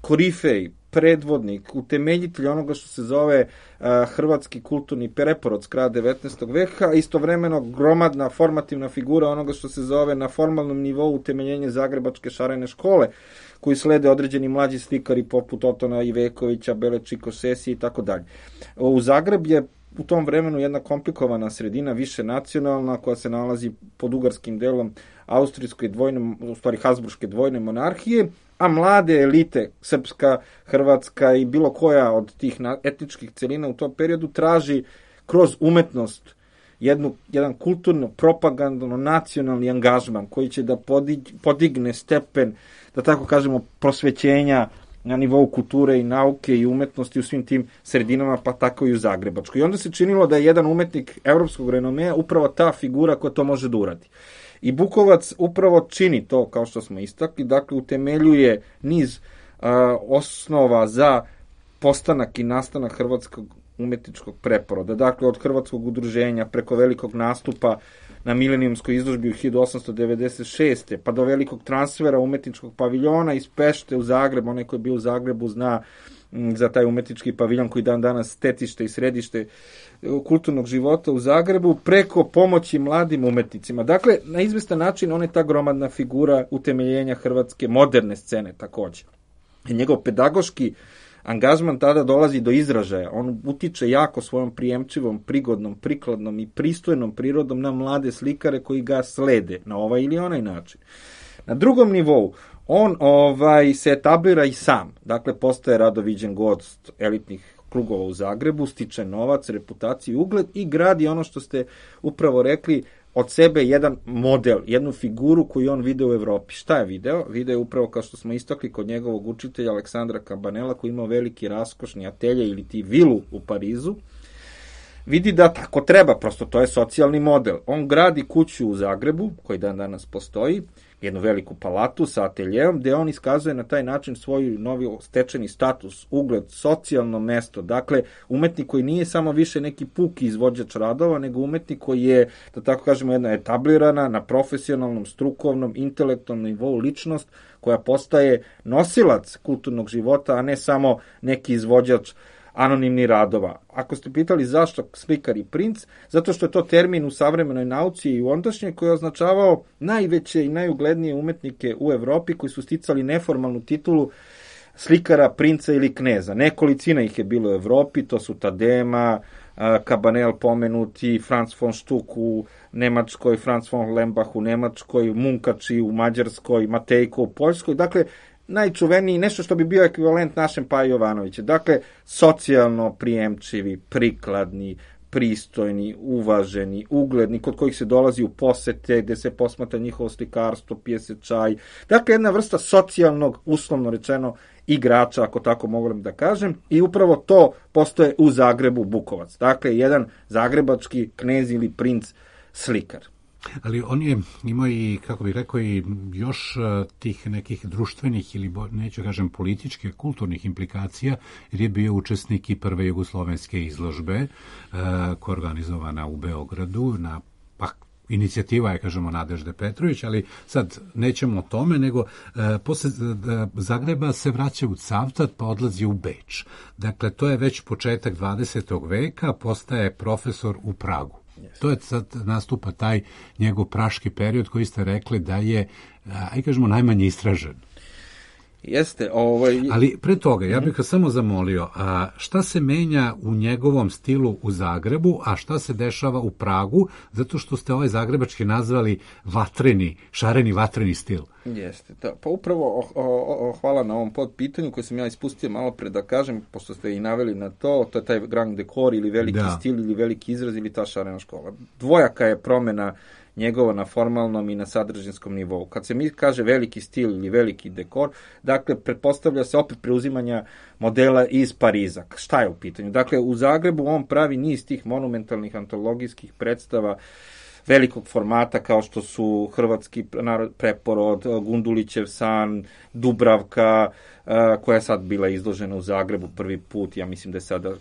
korifej, predvodnik, utemeljitelj onoga što se zove uh, hrvatski kulturni preporod s kraja devetnaestog veka, istovremeno gromadna formativna figura onoga što se zove na formalnom nivou utemeljenje Zagrebačke šarene škole, koji slede određeni mlađi slikari poput Otona Ivekovića, Belečiko Sesi i tako dalje. U Zagreb je u tom vremenu jedna komplikovana sredina, više nacionalna, koja se nalazi pod ugarskim delom austrijske dvojne, u stvari Habsburške dvojne monarhije, a mlade elite, srpska, hrvatska i bilo koja od tih etničkih celina u tom periodu traži kroz umetnost jednu, jedan kulturno, propagandno, nacionalni angažman koji će da podigne stepen, da tako kažemo, prosvećenja na nivou kulture i nauke i umetnosti u svim tim sredinama, pa tako i u Zagrebačkoj. I onda se činilo da je jedan umetnik evropskog renomea upravo ta figura koja to može da uradi. I Bukovac upravo čini to, kao što smo istakli, dakle utemeljuje niz a, osnova za postanak i nastanak hrvatskog umetničkog preporoda. Dakle, od hrvatskog udruženja preko velikog nastupa na milenijumskoj izložbi u hiljadu osamsto devedeset šeste. pa do velikog transfera umetničkog paviljona iz Pešte u Zagreb. Onaj koji je bio u Zagrebu zna za taj umetnički paviljon koji dan danas stecište i središte kulturnog života u Zagrebu, preko pomoći mladim umetnicima. Dakle, na izvestan način on je ta gromadna figura utemeljenja hrvatske moderne scene takođe. I njegov pedagoški angažman tada dolazi do izražaja. On utiče jako svojom prijemčivom, prigodnom, prikladnom i pristojnom prirodom na mlade slikare koji ga slede na ovaj ili onaj način. Na drugom nivou on ovaj se etablira i sam. Dakle, postaje radoviđen gost elitnih krugova u Zagrebu, stiče novac, reputaciju i ugled i gradi ono što ste upravo rekli, od sebe jedan model, jednu figuru koju on video u Evropi. Šta je video? Video je upravo, kao što smo istakli, kod njegovog učitelja Aleksandra Cabanela, koji imao veliki raskošni atelje ili ti vilu u Parizu. Vidi da tako treba, prosto to je socijalni model. On gradi kuću u Zagrebu, koji dan danas postoji, jednu veliku palatu sa ateljeom, gde on iskazuje na taj način svoj novi stečeni status, ugled, socijalno mesto. Dakle, umetnik koji nije samo više neki puki izvođač radova, nego umetnik koji je, da tako kažemo, jedna etablirana na profesionalnom, strukovnom, intelektualnom nivou ličnost koja postaje nosilac kulturnog života, a ne samo neki izvođač anonimni radova. Ako ste pitali zašto slikar i princ, zato što je to termin u savremenoj nauci i u ondašnjoj koji je označavao najveće i najuglednije umetnike u Evropi koji su sticali neformalnu titulu slikara, princa ili kneza. Nekolicina ih je bilo u Evropi, to su Tadema, Cabanel pomenuti, Franz von Stuck u Nemačkoj, Franz von Lembach u Nemačkoj, Munkači u Mađarskoj, Matejko u Poljskoj. Dakle, najčuveniji, nešto što bi bio ekvivalent našem Paji Jovanovića. Dakle, socijalno prijemčivi, prikladni, pristojni, uvaženi, ugledni, kod kojih se dolazi u posete, gde se posmatra njihovo slikarstvo, pije se čaj. Dakle, jedna vrsta socijalnog, uslovno rečeno, igrača, ako tako mogu da kažem, i upravo to postoje u Zagrebu Bukovac. Dakle, jedan zagrebački knez ili princ slikar. Ali on je imao i, kako bih rekao, i još tih nekih društvenih ili, neću kažem, političkih, kulturnih implikacija, jer je bio učesnik i prve jugoslovenske izložbe koja je organizovana u Beogradu na inicijativa je, kažemo, Nadežde Petrović, ali sad nećemo o tome, nego e, posle e, Zagreba se vraća u Cavtat pa odlazi u Beč. Dakle, to je već početak dvadesetog veka, postaje profesor u Pragu. Yes. To je sad nastupa taj njegov praški period koji ste rekli da je, aj kažemo, najmanje istražen. Jeste, ovaj... Ali pre toga, ja bih ga samo zamolio, a šta se menja u njegovom stilu u Zagrebu, a šta se dešava u Pragu, zato što ste ovaj zagrebački nazvali vatreni, šareni vatreni stil. Jeste, da. Pa upravo o, o, o, hvala na ovom podpitanju koje sam ja ispustio malo pre da kažem, pošto ste i naveli na to, to je taj grand dekor ili veliki da. stil ili veliki izraz ili ta šarena škola. Dvojaka je promena njegova na formalnom i na sadržinskom nivou. Kad se mi kaže veliki stil ili veliki dekor, dakle, pretpostavlja se opet preuzimanja modela iz Pariza. Šta je u pitanju? Dakle, u Zagrebu on pravi niz tih monumentalnih antologijskih predstava velikog formata kao što su Hrvatski preporod, Gundulićev san, Dubravka, koja je sad bila izložena u Zagrebu prvi put, ja mislim da je sada,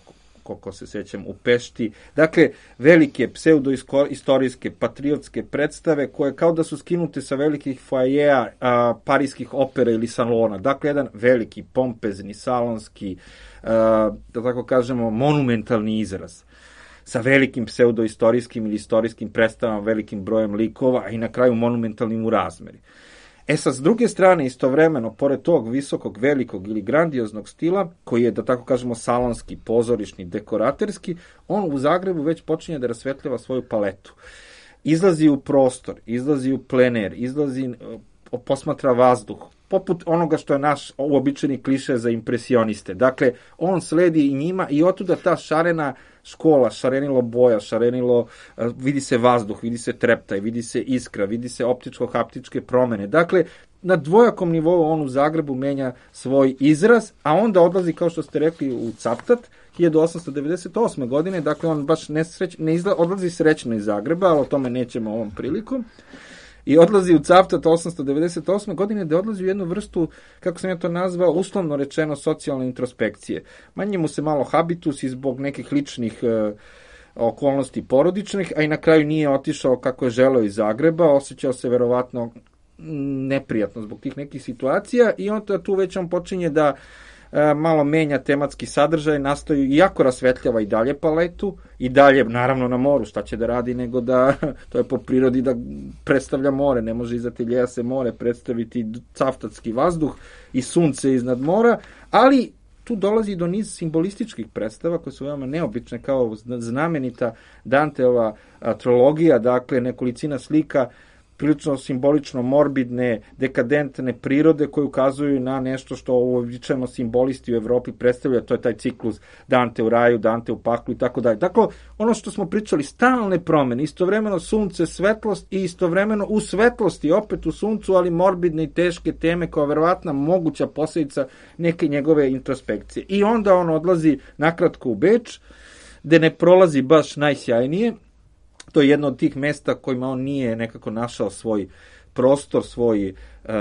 koliko se sećam, u Pešti. Dakle, velike pseudoistorijske, patriotske predstave koje kao da su skinute sa velikih foajeja parijskih opera ili salona. Dakle, jedan veliki, pompezni, salonski, a, da tako kažemo, monumentalni izraz sa velikim pseudoistorijskim ili istorijskim predstavama, velikim brojem likova, a i na kraju monumentalnim u razmeri. E sad, s druge strane, istovremeno, pored tog visokog, velikog ili grandioznog stila, koji je, da tako kažemo, salonski, pozorišni, dekoraterski, on u Zagrebu već počinje da rasvetljava svoju paletu. Izlazi u prostor, izlazi u plener, izlazi, posmatra vazduh, poput onoga što je naš uobičajeni kliše za impresioniste. Dakle, on sledi i njima i otuda ta šarena škola, šarenilo boja, šarenilo, vidi se vazduh, vidi se treptaj, vidi se iskra, vidi se optičko-haptičke promene. Dakle, na dvojakom nivou on u Zagrebu menja svoj izraz, a onda odlazi, kao što ste rekli, u Cavtat, hiljadu osamsto devedeset osme. godine, dakle on baš nesreć, ne izla, odlazi srećno iz Zagreba, ali o tome nećemo ovom prilikom. I odlazi u Cavtat osamsto devedeset osme. godine, da odlazi u jednu vrstu, kako sam ja to nazvao, uslovno rečeno socijalne introspekcije. Manje mu se malo habitus i zbog nekih ličnih e, okolnosti porodičnih, a i na kraju nije otišao kako je želeo iz Zagreba, osjećao se verovatno neprijatno zbog tih nekih situacija i onda tu već on počinje da e, malo menja tematski sadržaj, nastoji, iako rasvetljava i dalje paletu, i dalje, naravno, na moru, šta će da radi nego da, to je po prirodi da predstavlja more, ne može iz ateljeja se more predstaviti cavtatski vazduh i sunce iznad mora, ali tu dolazi do niz simbolističkih predstava koje su veoma neobične, kao znamenita Danteova trilogija, dakle nekolicina slika prilično simbolično morbidne, dekadentne prirode koje ukazuju na nešto što uobičajeno simbolisti u Evropi predstavlja, to je taj ciklus Dante u raju, Dante u paklu i tako dalje. Dakle, ono što smo pričali, stalne promene, istovremeno sunce, svetlost i istovremeno u svetlosti, opet u suncu, ali morbidne i teške teme kao verovatna moguća posledica neke njegove introspekcije. I onda on odlazi nakratko u Beč, gde ne prolazi baš najsjajnije. To je jedno od tih mesta kojima on nije nekako našao svoj prostor, svoj uh,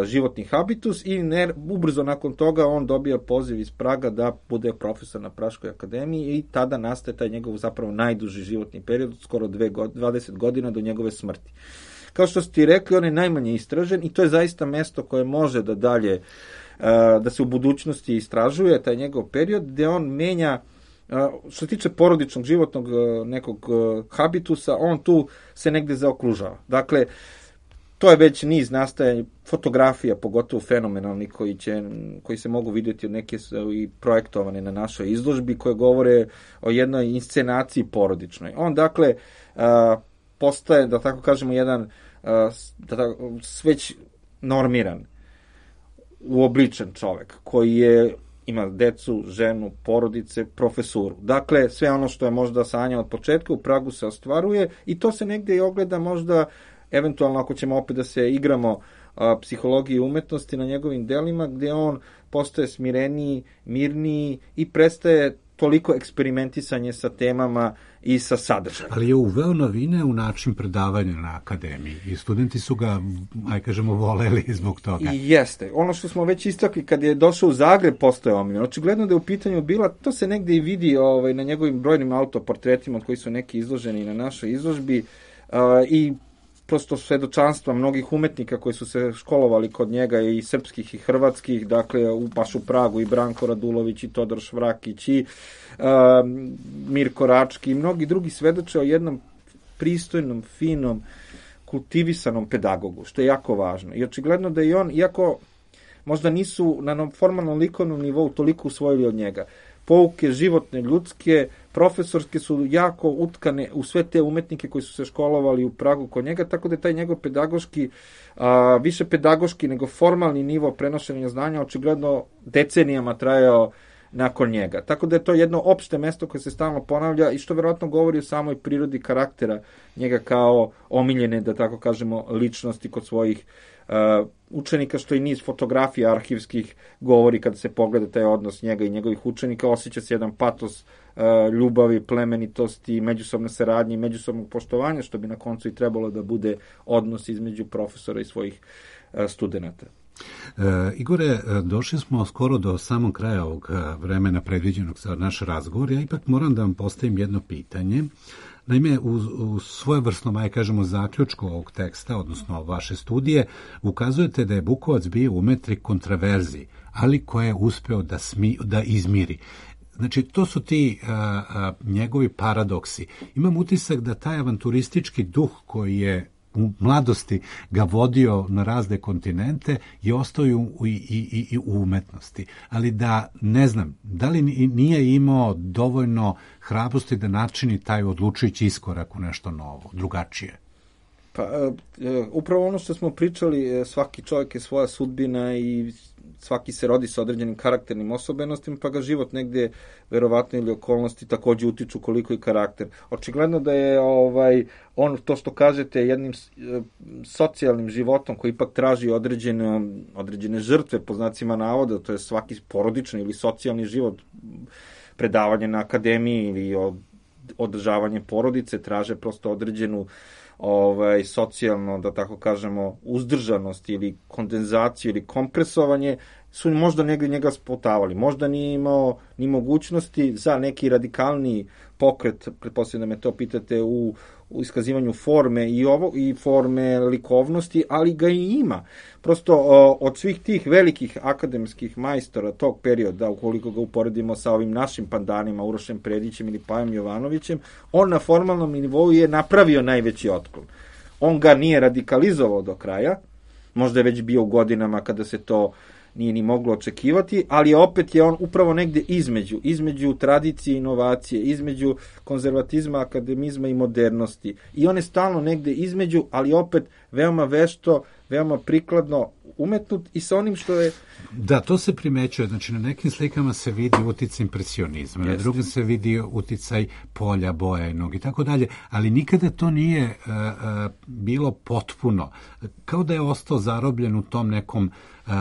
životni habitus i ne, ubrzo nakon toga on dobija poziv iz Praga da bude profesor na Praškoj akademiji i tada nastaje taj njegov zapravo najduži životni period, skoro dve, dvadeset godina do njegove smrti. Kao što ste ti rekli, on je najmanje istražen i to je zaista mesto koje može da dalje, uh, da se u budućnosti istražuje, taj njegov period, gde on menja. Što se tiče porodičnog životnog nekog habitusa, on tu se negde zaokružava. Dakle, to je već niz nastaje fotografija, pogotovo fenomenalni, koji, će, koji se mogu vidjeti od neke i projektovane na našoj izložbi, koje govore o jednoj inscenaciji porodičnoj. On, dakle, postaje, da tako kažemo, jedan da tako, već normiran, uobličen čovek, koji je ima decu, ženu, porodice, profesuru. Dakle, sve ono što je možda sanja od početka u Pragu se ostvaruje i to se negde i ogleda možda, eventualno ako ćemo opet da se igramo a, psihologije i umetnosti na njegovim delima, gde on postaje smireniji, mirniji i prestaje toliko eksperimentisanje sa temama i sa sadržajem. Ali je uveo novine u način predavanja na akademiji i studenti su ga, aj kažemo, voleli zbog toga. I jeste. Ono što smo već istakli, kad je došao u Zagreb, postoje omiljen. Očigledno da je u pitanju bila, to se negde i vidi ovaj, na njegovim brojnim autoportretima od koji su neki izloženi na našoj izložbi, i prosto svedočanstva mnogih umetnika koji su se školovali kod njega, i srpskih i hrvatskih, dakle u, baš u Pragu, i Branko Radulović, i Todor Švrakić, i uh, Mirko Rački, i mnogi drugi svedoče o jednom pristojnom, finom, kultivisanom pedagogu, što je jako važno. I očigledno da i on, iako možda nisu na formalnom likovnom nivou toliko usvojili od njega, pouke životne, ljudske, profesorske su jako utkane u sve te umetnike koji su se školovali u Pragu kod njega, tako da je taj njegov pedagoški, a, više pedagoški nego formalni nivo prenošenja znanja očigledno decenijama trajao nakon njega. Tako da je to jedno opšte mesto koje se stalno ponavlja i što verovatno govori o samoj prirodi karaktera njega kao omiljene, da tako kažemo, ličnosti kod svojih uh, učenika, što i niz fotografija arhivskih govori kada se pogleda taj odnos njega i njegovih učenika. Osjeća se jedan patos uh, ljubavi, plemenitosti, međusobne saradnje i međusobnog poštovanja, što bi na koncu i trebalo da bude odnos između profesora i svojih uh, studenata. E, Igore, došli smo skoro do samog kraja ovog vremena predviđenog za naš razgovor. Ja ipak moram da vam postavim jedno pitanje. Naime, u, u svojevrsnom, aj kažemo, zaključku ovog teksta, odnosno vaše studije, ukazujete da je Bukovac bio umetnik kontraverzi, ali koje je uspeo da, smi, da izmiri. Znači, to su ti a, a, njegovi paradoksi. Imam utisak da taj avanturistički duh koji je u mladosti ga vodio na razne kontinente i ostao i u, i, i, i u umetnosti. Ali da, ne znam, da li nije imao dovoljno hrabrosti da načini taj odlučujući iskorak u nešto novo, drugačije? Pa, upravo ono što smo pričali, svaki čovjek je svoja sudbina i svaki se rodi sa određenim karakternim osobenostima, pa ga život negde, verovatno, ili okolnosti takođe utiču koliko i karakter. Očigledno da je ovaj on, to što kažete, jednim socijalnim životom koji ipak traži određene, određene žrtve, po znacima navoda, to je svaki porodični ili socijalni život, predavanje na akademiji ili od, održavanje porodice, traže prosto određenu ovaj, socijalno, da tako kažemo, uzdržanost ili kondenzaciju ili kompresovanje, su možda negdje njega spotavali. Možda nije imao ni mogućnosti za neki radikalni pokret, pretpostavljam da me to pitate, u, u iskazivanju forme i ovo i forme likovnosti, ali ga i ima. Prosto o, od svih tih velikih akademskih majstora tog perioda, ukoliko ga uporedimo sa ovim našim pandanima, Urošem Predićem ili Pajom Jovanovićem, on na formalnom nivou je napravio najveći otklon. On ga nije radikalizovao do kraja, možda je već bio u godinama kada se to nije ni moglo očekivati, ali opet je on upravo negde između, između tradicije i inovacije, između konzervatizma, akademizma i modernosti. I on je stalno negde između, ali opet veoma vešto, veoma prikladno umetnut i sa onim što je... Da, to se primećuje. Znači, na nekim slikama se vidi uticaj impresionizma, Jeste. Na drugim se vidi uticaj polja, boja i nog i tako dalje, ali nikada to nije uh, uh, bilo potpuno. Kao da je ostao zarobljen u tom nekom uh,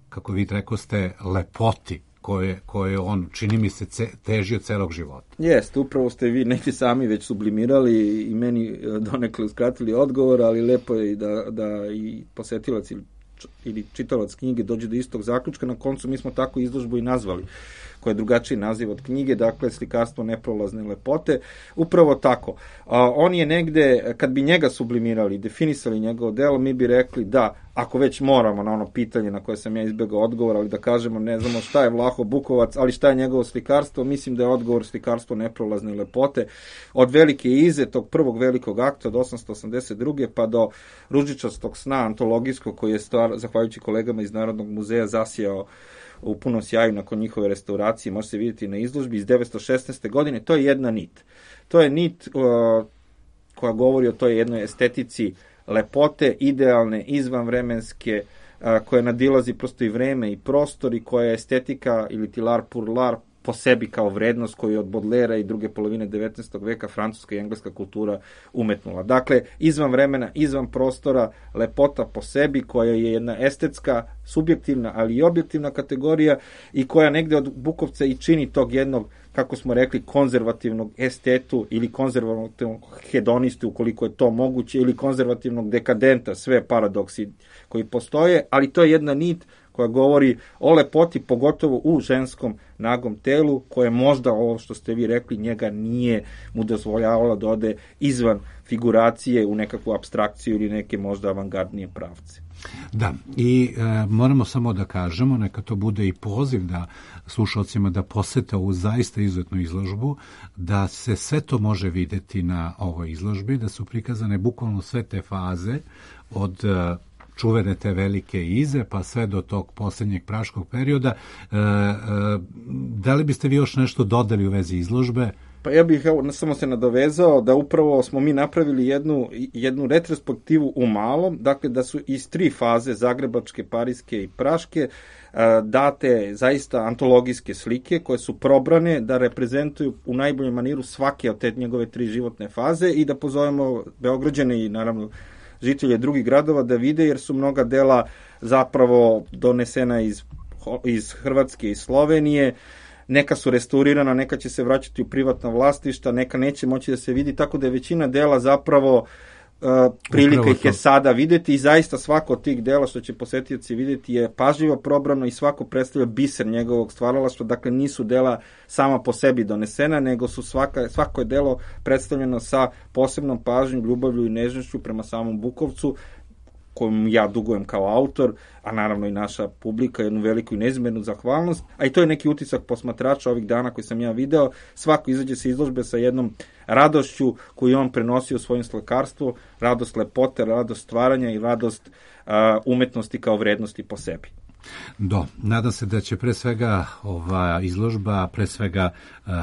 kako vi rekoste, lepoti koje, koje on, čini mi se, ce, težio celog života. Jeste, upravo ste vi neki sami već sublimirali i meni donekle uskratili odgovor, ali lepo je i da, da i posetilac ili, ili čitalac knjige dođe do istog zaključka. Na koncu mi smo tako izložbu i nazvali, koja je drugačiji naziv od knjige, dakle slikarstvo neprolazne lepote. Upravo tako. A, on je negde, kad bi njega sublimirali, definisali njegovo delo, mi bi rekli da, ako već moramo na ono pitanje na koje sam ja izbegao odgovor, ali da kažemo ne znamo šta je Vlaho Bukovac, ali šta je njegovo slikarstvo, mislim da je odgovor slikarstvo neprolazne lepote. Od Velike Ize, tog prvog velikog akta od osamsto osamdeset druge pa do Ružičastog sna antologijskog, koji je stvar, zahvaljujući kolegama iz Narodnog muzeja, zasijao u punom sjaju nakon njihove restauracije, može se vidjeti na izložbi iz devetsto šesnaeste godine, to je jedna nit. To je nit uh, koja govori o toj jednoj estetici lepote, idealne, izvanvremenske, uh, koja nadilazi prosto i vreme i prostor i koja je estetika ili ti l'art pour l'art po sebi kao vrednost koju je od Baudelaira i druge polovine devetnaestog veka francuska i engleska kultura umetnula. Dakle, izvan vremena, izvan prostora, lepota po sebi koja je jedna estetska, subjektivna, ali i objektivna kategorija i koja negde od Bukovca i čini tog jednog, kako smo rekli, konzervativnog estetu ili konzervativnog hedonistu, ukoliko je to moguće, ili konzervativnog dekadenta, sve paradoksi koji postoje, ali to je jedna nit koja govori o lepoti, pogotovo u ženskom nagom telu, koje možda, ovo što ste vi rekli, njega nije mu dozvoljavalo da ode izvan figuracije u nekakvu apstrakciju ili neke možda avangardnije pravce. Da, i e, moramo samo da kažemo, neka to bude i poziv da slušalcima da posete ovu zaista izuzetnu izložbu, da se sve to može videti na ovoj izložbi, da su prikazane bukvalno sve te faze od e, čuvene te velike ize, pa sve do tog posljednjeg praškog perioda. E, e, da li biste vi još nešto dodali u vezi izložbe? Pa ja bih evo, samo se nadovezao da upravo smo mi napravili jednu, jednu retrospektivu u malom, dakle da su iz tri faze, zagrebačke, parijske i praške, date zaista antologijske slike koje su probrane da reprezentuju u najboljem maniru svake od te njegove tri životne faze i da pozovemo Beograđane i naravno žitelje drugih gradova da vide, jer su mnoga dela zapravo donesena iz, iz Hrvatske i Slovenije, neka su restaurirana, neka će se vraćati u privatna vlasništa, neka neće moći da se vidi, tako da je većina dela zapravo uh, prilika ih je sada videti i zaista svako od tih dela što će posetioci videti je pažljivo probrano i svako predstavlja biser njegovog stvaralaštva, dakle nisu dela sama po sebi donesena, nego su svaka, svako je delo predstavljeno sa posebnom pažnjom, ljubavlju i nežnošću prema samom Bukovcu, kojom ja dugujem kao autor, a naravno i naša publika, jednu veliku i neizmjernu zahvalnost, a i to je neki utisak posmatrača ovih dana koji sam ja video. Svako izađe sa izložbe sa jednom radošću koju on prenosio u svojim slikarstvu, radost lepote, radost stvaranja i radost uh, umetnosti kao vrednosti po sebi. Do, nadam se da će pre svega ova izložba, pre svega uh, uh,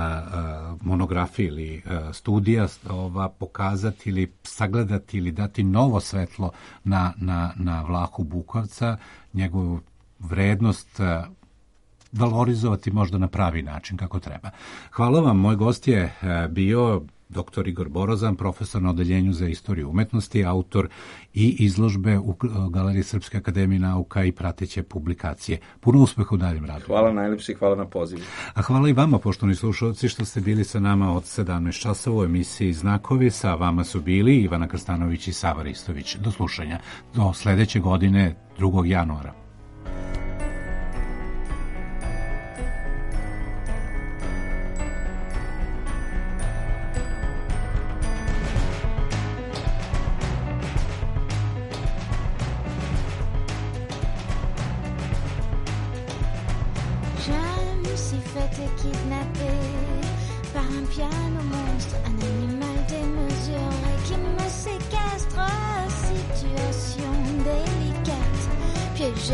monografija ili uh, studija ova pokazati ili sagledati ili dati novo svetlo na, na, na Vlahu Bukovca, njegovu vrednost uh, valorizovati možda na pravi način kako treba. Hvala vam, moj gost je uh, bio doktor Igor Borozan, profesor na Odeljenju za istoriju umetnosti, autor i izložbe u Galeriji Srpske akademije nauka i prateće publikacije. Puno uspeha u daljem radu. Hvala najlepši, hvala na pozivu. A hvala i vama, poštovani slušalci, što ste bili sa nama od sedamnaest časova u emisiji Znakovi. Sa vama su bili Ivana Krstanović i Sava Ristović. Do slušanja. Do sledeće godine, drugog januara.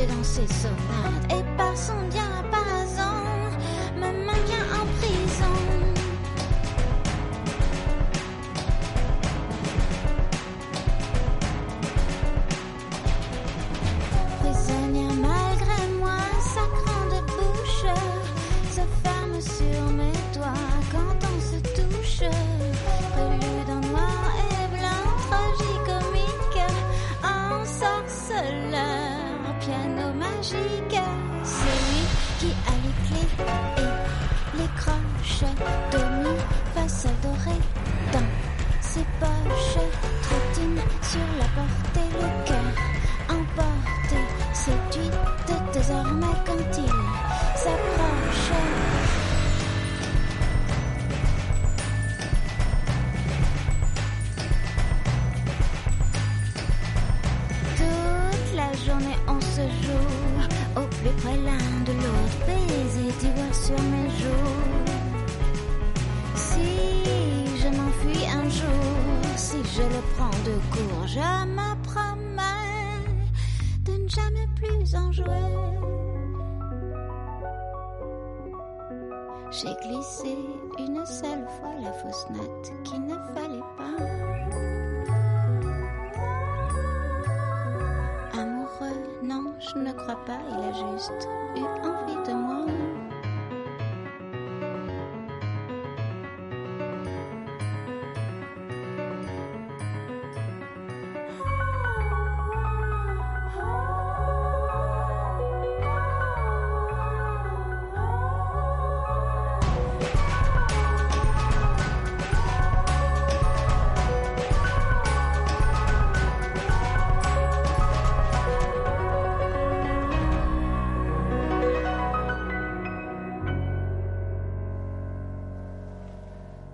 Dans ses sonates et par son diapason me maintient en prison. Prisonnière malgré moi, sa grande bouche se ferme sur mes doigts quand on se touche. Prélude en noir et blanc, tragicomique, en sorceleur. Piano magique, c'est lui qui a les clés et les croches de mi fa sol doré dans ses poches. Trottine sur la porte et le cœur emporté, séduite désormais quand il s'approche. Toute la journée on se joue au plus près l'un de l'autre, baiser d'ivoire sur mes joues. Si je m'enfuis un jour, si je le prends de court, je me promets de ne jamais plus en jouer. J'ai glissé une seule fois la fausse note qu'il ne fallait pas. Non, je ne crois pas, il a juste eu envie.